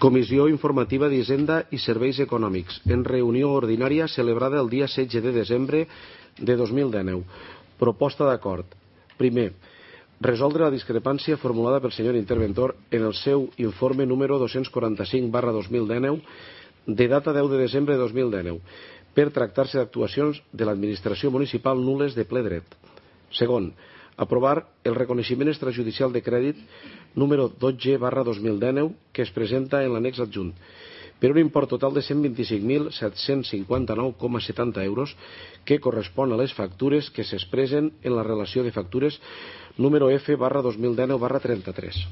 Comissió Informativa d'Hisenda i Serveis Econòmics, en reunió ordinària celebrada el dia 16 de desembre de 2019. Proposta d'acord. Primer, resoldre la discrepància formulada pel senyor interventor en el seu informe número 245/2019 de data 10 de desembre de 2019 per tractar-se d'actuacions de l'administració municipal nul·les de ple dret. Segon, aprovar el reconeixement extrajudicial de crèdit número 12/2019 que es presenta en l'annex adjunt per un import total de 125.759,70 euros que correspon a les factures que s'expressen en la relació de factures número F/2019/33.